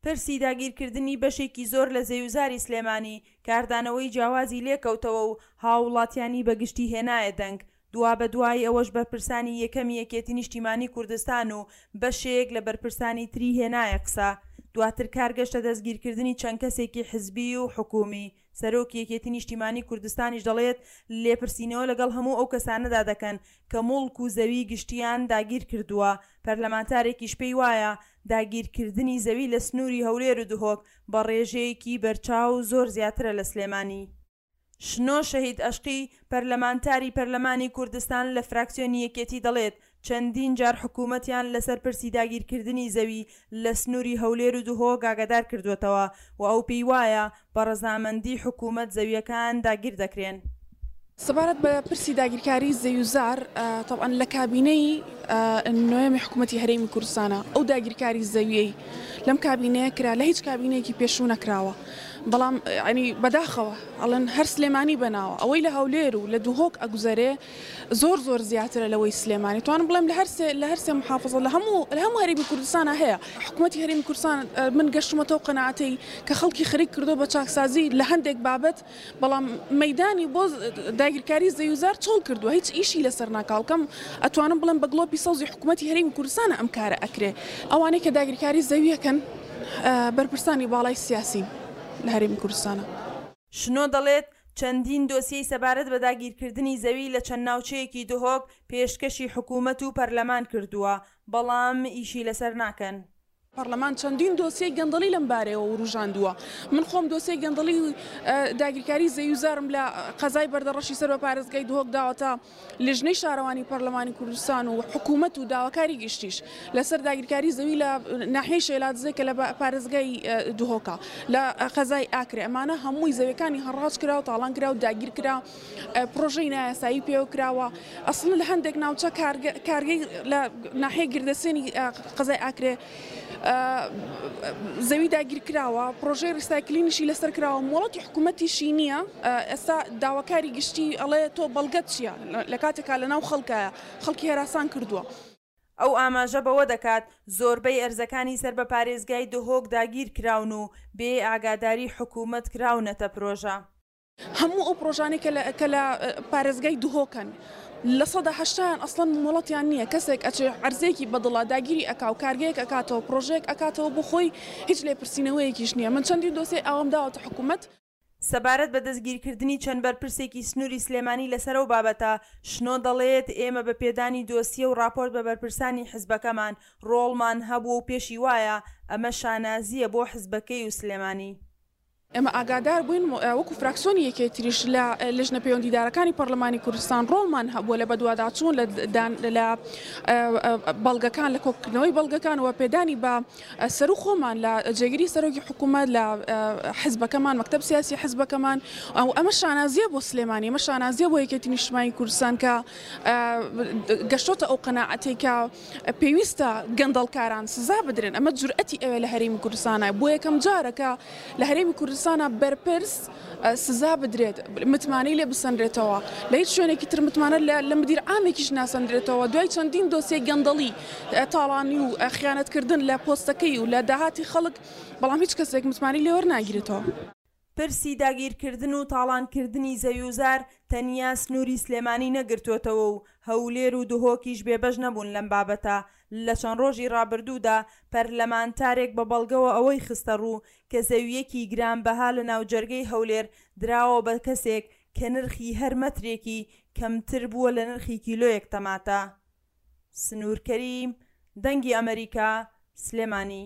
پرسی داگیرکردنی بەشێکی زۆر لە زەویوزاری سلێمانی، کاردانەوەی جیاوازی لێکەوتەوە و هاووڵاتیانی بە گشتی هێنایە دەنگ، دوابەدوای ئەوەش بەرپرسانی یەکەمی یەکێتی نیشتیمانی کوردستان و بەشێک لە بەرپرسانی تری هێنایە قسە. دواتر کار گەشتە دەستگیرکردنی چەند کەسێکی حزبی و حکوومی. سەرۆکی یەکێتی نیشتیمانی کوردستانیش دەڵێت، لێپرسینەوە لەگەڵ هەموو ئەو کەسانەدا دەکەن کە موڵک و زەوی گشتییان داگیرکردووە. پەرلەمانتارێکیش پێی وایە، داگیرکردنی زەوی لە سنووری هەولێر و دهۆک بە ڕێژەیەکی بەرچاو زۆر زیاترە لە سلێمانی. شنۆ شەهید ئەشقی، پەرلەمانتاری پەرلەمانی کوردستان لە فراکسیۆنی یەکێتی دەڵێت، چەندین جار حکوومەتیان لەسەر پرسی داگیرکردنی زەوی لە سنووری هەولێر و دهۆک ئاگادار کردووەتەوە و ئەو پێی وایە بە ڕەزامەندی حکوومەت زەوییەکان داگیر دەکرێن. سەبارەت بە پرسی داگیرکاری زەویوزار، تەبعەن لە کابینەی نۆیەمی حکوومەتی هەرێمی کوردستانە ئەو داگیرکاری زەوییەی لەم کابینەیە کرا لە هیچ کابینەیەکی پێشوو نەکراوە، بەڵام یانی بەداخەوە ئەڵێن هەر سلێمانی بەناوە ئەوەی لە هەولێر و لە دهۆک ئەگوزەرێ زۆر زۆر زیاترە لەوەی سلێمانی توانم بڵێم لە هەرسێ لە هەرسێ محافزە لە هەموو لە هەموو هەرێمی کوردستانە هەیە حکوومەتی هەرێمی کوردستان من گەشتمەتەوە قەناعەتەی کە خەڵکی خەریک کردو بە چاکسازی لە هەندێک بابەت بەڵام مەیدانی بۆ داگیرکاری زەویوزار چۆڵ کردووە هیچ ئیشی لەسەر ناکاڵکەم ئەتوانم بڵێم بە گڵۆپی سەوزی حکوومەتی هەرێمی کوردستانە ئەم کارە ئەکرێ ئەوانەی کە داگیرکاری زەویەکەن بەرپرسانی باڵای سیاسین لە هەرێمی کوردستانە. شنۆ دەڵێت، چەندین دۆسیەی سەبارەت بە داگیرکردنی زەوی لە چەند ناوچەیەکی دهۆک پێشکەشی حکوومەت و پەرلەمان کردووە، بەڵام ئیشی لەسەر ناکەن. پەڕلەمان چەندین دۆسیەی گەندەڵی لەم بارەیەوە وروژاندووە. من خۆم دۆسیەی گەندەڵی و داگیرکاری زەویوزارم لە قەزای بەردەڕەشی سەر بە پارێزگای دهۆک داوەتە لیژنەی شارەوانی پەرلەمانی کوردستان و حکوومەت و داواکاری گشتیش لەسەر داگیرکاری زەوی لە ناحیەی شێلادزێ کە لە پارێزگای دهۆکە لە قەزای ئاکرێ ئەمانە هەمووی زەویەکانی هەڕاج کرا و تاڵان کرا و داگیر کرا پڕۆژەی نایاسایی پێوە کراوە ئەسڵن لە هەندێک ناوچە کارگەی لە ناحیەی گردەسێنی قەزای ئاکرێ زەوی داگیر کراوە پڕۆژەی ڕیسایکلینیشی لەسەر کراوە مۆڵەتی حکوومەتیشی نییە ئێستا داواکاری گشتی ئەڵێ تۆ بەڵگەت چییە لە کاتێکا لەناو خەڵکایە خەڵکی هەراسان کردووە. ئەو ئاماژە بەوە دەکات، زۆربەی ئەرزەکانی سەر بە پارێزگای دهۆک داگیر کراون و بێ ئاگاداری حکوومەت کراونەتە پرۆژە. هەموو ئەو پڕۆژانەی کە لە کە لە پارێزگای دهۆکن لە سەدا هەشتایان ئەسڵەن مۆڵەتیان نییە کەسێک ئەچێ عەرزەیەکی بەدڵە داگیری ئەکا و کارگەیەک ئەکاتەوە پڕۆژەیەک ئەکاتەوە بۆ خۆی هیچ لێپرسینەوەیەکیش نییە من چەندین دۆسیەی ئاوام داوەتە حکوومەت. سەبارەت بە دەستگیرکردنی چەند بەرپرسێکی سنووری سلێمانی لەسەر ئەو بابەتە، شنۆ دەڵێت، ئێمە بە پێدانی دۆسیە و ڕاپۆرت بە بەرپرسانی حزبەکەمان ڕۆڵمان هەبووە و پێشی وایە ئەمە شانازییە بۆ حزبەکەی و سلێمانی. ئێمە ئاگادار بووین وەکو فراکسیۆنی یەکێتیش لە لیژنە پەیوەندیدارەکانی پەرلەمانی کوردستان ڕۆڵمان هەبووە لە بەدواداچوون لە بەڵگەکان لە کۆکردنەوەی بەڵگەکان و پێدانی بە سەرو خۆمان لە جێگری سەرۆکی حکوومەت لە حزبەکەمان مەکتەب سیاسی حزبەکەمان ئەو ئەمە شانازیە بۆ سلێمانی ئەمە شانازیە بۆ یەکێتی نیشتمانی کوردستان کە گەشتۆتە ئەو قەناعەتەی کە پێویستە گەندەڵکاران سزا بدرێن، ئەمە جورئەتی ئەوێ لە هەرێمی کوردستانە، بۆ یەکەم جارە کە لە هەرێمی کوردستانە بەرپرس سزا بدرێت، متمانەی لێ بسەنرێتەوە، لە هیچ شوێنێکی تر متمانە لە مدیر عامێکیش ناسەندرێتەوە، دوای چەندین دۆسیەی گەندەڵی، تاڵانی و خیانەتکردن لە پۆستەکەی و لە داهاتی خەڵک، بەڵام هیچ کەسێک متمانەی لێ وەرناگیرێتەوە. پرسی داگیرکردن و تاڵانکردنی زەویوزار تەنیا سنووری سلێمانی نەگرتووەتەوە و هەولێر و دهۆکیش بێبەش نەبوون لەم بابەتە، لە چەند ڕۆژی ڕابردوودا پەرلەمانتارێک بە بەڵگەوە ئەوەی خستەڕوو کە زەوییەکی گرانبەها لە ناوجەرگەی هەولێر دراوە بە کەسێک کە نرخی هەر مەترێکی کەمتر بووە لە نرخی کیلۆیەک تەماتە. سنوور کەریم، دەنگی ئەمەریکا، سلێمانی.